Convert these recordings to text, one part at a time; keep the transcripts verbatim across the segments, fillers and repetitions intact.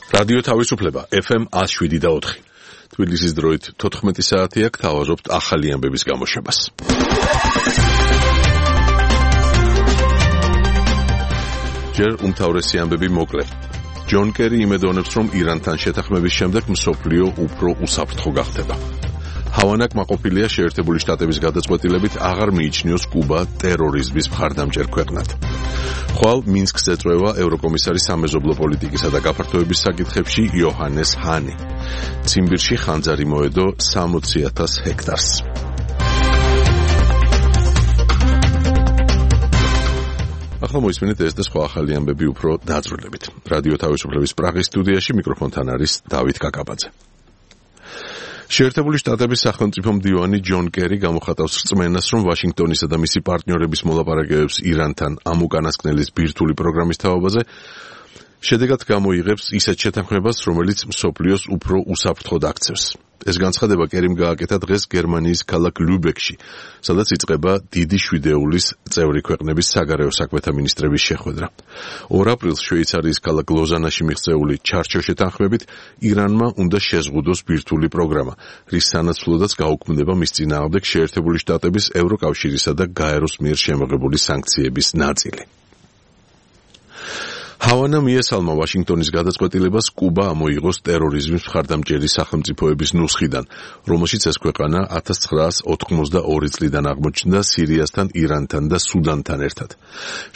რადიო თავისუფლება ეფ ემ one oh seven და four. თბილისის დროით თოთხმეტი საათია, გთავაზობთ ახალი ამბების გამოშვებას. ჯერ უმთავრესი ამბები მოკლე. ჯონ კერი იმედოვნებს, რომ ირანთან შეთანხმების შემდეგ მსოფლიო უფრო უსაფრთხო გახდება. ჰავანა კმაყოფილია შეერთებული შტატების გადაწყვეტილებით აღარ მიიჩნიოს კუბა ტერორიზმის მხარდამჭერ ქვეყნად. ხვალ მინსკს ეწვევა ევროკომისარი სამეზობლო პოლიტიკისა და გაფართოების საკითხებში იოჰანეს ჰანი. ციმბირში ხანძარი მოედო სამოცი ათას ჰექტარს. ახლა მოისმინეთ ეს და სხვა ახალი ამბები უფრო დაწვრილებით. რადიო თავისუფლების პრაღის სტუდიაში მიკროფონთან არის დავით კაკაბაძე. შეერთებული შტატების სახელმწიფო მდივანი ჯონ კერი გამოხატავს რწმენას, რომ ვაშინგტონისა და მისი პარტნიორების მოლაპარაკებებს ირანთან ამ უკანასკნელის ბირთვული პროგრამის თაობაზე შედეგად გამოიღებს ისეთ შეთანხმებას, რომელიც მსოფლიოს უფრო უსაფრთხოდ აქცევს. ეს განცხადება კერიმ გააკეთა დღეს გერმანიის ქალაქ ლუბეკში, სადაც იწყება დიდი შვიდეულის წევრი ქვეყნების საგარეო საქმეთა მინისტრების შეხვედრა. ორ აპრილს შვეიცარიის ქალაქ ლოზანაში მიღწეული ჩარჩო შეთანხმებით ირანმა უნდა შეზღუდოს ბირთვული პროგრამა, რის სანაცვლოდაც გაუქმდება მის წინააღმდეგ შეერთებული შტატების, ევროკავშირისა და გაეროს მიერ შემოღებული სანქციების ნაწილი. ჰავანა მიესალმა ვაშინგტონის გადაწყვეტილებას კუბა ამოიღოს ტერორიზმის მხარდამჭერი სახელმწიფოების ნუსხიდან, რომელშიც ეს ქვეყანა ათას ცხრაას ოთხმოცდაორი წლიდან აღმოჩნდა სირიასთან, ირანთან და სუდანთან ერთად.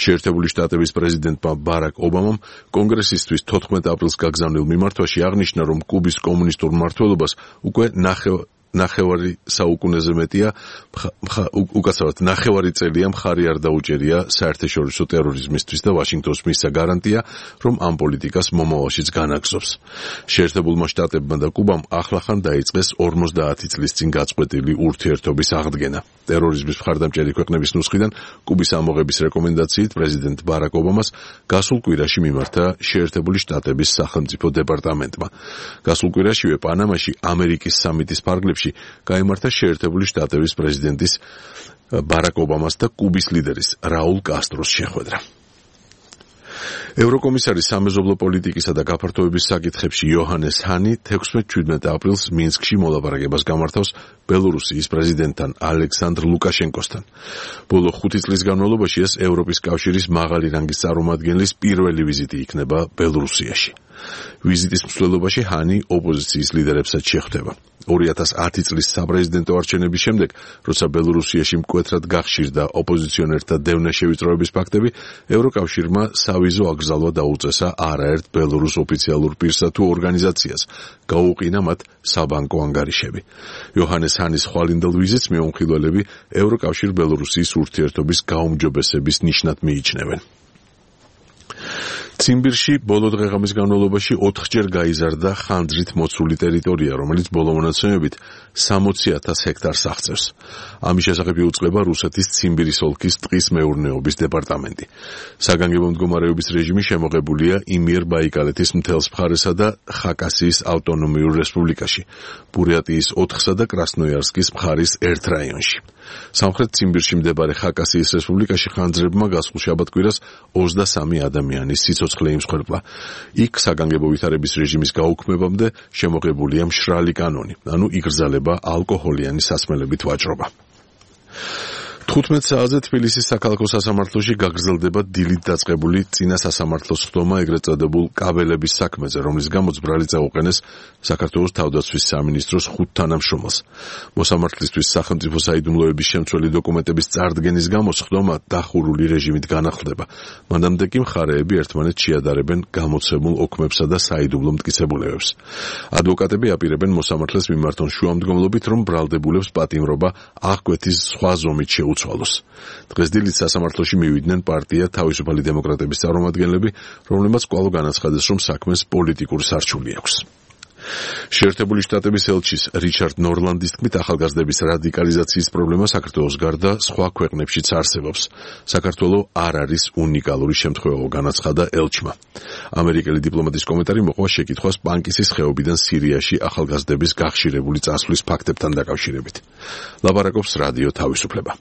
შეერთებული შტატების პრეზიდენტმა ბარაკ ობამამ კონგრესისთვის თოთხმეტ აპრილს გაგზავნილ მიმართვაში აღნიშნა, რომ კუბის კომუნისტურ მმართველობას უკვე ნახევ ნახევარი საუკუნეზე მეტია, უკაცრავად ნახევარი წელია მხარი არ დაუჭერია საერთაშორისო ტერორიზმისთვის და ვაშინგტონს მისცა გარანტია, რომ ამ პოლიტიკას მომავალშიც განაგზობს. შეერთებულმა შტატებმა და კუბამ ახლახან დაიწყეს ორმოცდაათი წლის წინ გაწყვეტილი ურთიერთობის აღდგენა. ტერორიზმის მხარდამჭერი ქვეყნების ნუსხიდან კუბის ამოღების რეკომენდაციით პრეზიდენტ ბარაკ ობამას გასულ კვირაში მიმართა შეერთებული შტატების სახელმწიფო დეპარტამენტმა. გასულ კვირაშივე პანამაში ამერიკის სამიტის ფარგლებში გაიმართა შეერთებული შტატების პრეზიდენტის ბარაკ ობამას და კუბის ლიდერის რაულ კასტროს შეხვედრა. ევროკომისარი სამეზობლო პოლიტიკისა და გაფართოების საკითხებში იოჰანეს ჰანი თექვსმეტ-ჩვიდმეტ აპრილს მინსკში მოლაპარაკებას გამართავს ბელორუსიის პრეზიდენტთან ალექსანდრ ლუკაშენკოსთან. ბოლო ხუთი წლის განმავლობაში ეს ევროპის კავშირის მაღალი რანგის წარმომადგენლის პირველი ვიზიტი იქნება ბელორუსიაში. ვიზიტის მსვლელობაში ჰანი ოპოზიციის ლიდერებსაც შეხვდება. ორი ათას ათი წლის საპრეზიდენტო არჩევნების შემდეგ, როცა ბელორუსიაში მკვეთრად გახშირდა ოპოზიციონერთა დევნე შევიწროების ფაქტები, ევროკავშირმა სავიზო აკრძალვა დაუწესა არაერთ ბელორუს ოფიციალურ პირსა თუ ორგანიზაციას, გაუყინა მათ საბანკო ანგარიშები. იოჰანეს ჰანის ხვალინდელ ვიზიტს მეუხილველები ევროკავშირ-ბელორუსიის ურთიერთობის გაუმჯობესების ნიშნად მიიჩნევენ. ციმბირში ბოლო დღეღამის განმავლობაში ოთხჯერ გაიზარდა ხანძრით მოცული ტერიტორია, რომელიც ბოლო მონაცემებით სამოცი ათას ჰექტარს აღწევს. ამის შესახებ იუწყება რუსეთის ციმბირის ოლქის ტყის მეურნეობის დეპარტამენტი. საგანგებო მდგომარეობის რეჟიმი შემოღებულია იმიერბაიკალეთის მთელს მხარესა და ხაკასიის ავტონომიურ რესპუბლიკაში, ბურიატიის ოთხსა და კრასნოიარსკის მხარის ერთ რაიონში. სამხრეთ ციმბირში მდებარე ხაკასიის რესპუბლიკაში ხანძრებმა გასულ შაბათ-კვირას ოცდასამი ადამიანის სიცოცხლე იმსხვერპლა. იქ საგანგებო ვითარების რეჟიმის გაუქმებამდე შემოღებულია მშრალი კანონი, ანუ იგრძელება ალკოჰოლიანი სასმელებით ვაჭრობა. თხუთმეტ საათზე თბილისის საქალაქო სასამართლოში გაგრძელდება დილით დაწყებული წინა სასამართლოს ხდომა ეგრეთ წოდებულ კაბელების საქმეზე, რომლის გამოც ბრალი წაუყენეს საქართველოს თავდაცვის სამინისტროს ხუთ თანამშრომელს. მოსამართლისთვის სახელმწიფო საიდუმლოების შემცველი დოკუმენტების წარდგენის გამო ხდომა დახურული რეჟიმით განახლდება. მანამდე კი მხარეები ერთმანეთს შეადარებენ გამოცემულ ოქმებსა და საიდუმლო მტკიცებულებებს. ადვოკატები აპირებენ მოსამართლეს მიმართონ შუამდგომლობით, რომ ბრალდებულებს პატიმრობა აღკვეთის სხვა ზომით შეუცვალოს. დღეს დილით სასამართლოში მივიდნენ პარტია თავისუფალი დემოკრატების წარმომადგენლები, რომლებმაც კვლავ განაცხადეს, რომ საქმეს პოლიტიკური სარჩული აქვს. შეერთებული შტატების ელჩის რიჩარდ ნორლანდის თქმით, ახალგაზრდების რადიკალიზაციის პრობლემა საქართველოს გარდა სხვა ქვეყნებშიც არსებობს. საქართველო არ არის უნიკალური შემთხვევა, განაცხადა ელჩმა. ამერიკელი დიპლომატის კომენტარი მოყვა შეკითხვას პანკისის ხეობიდან სირიაში ახალგაზრდების გახშირებული წასვლის ფაქტებთან დაკავშირებით. ლაპარაკობს რადიო თავისუფლება.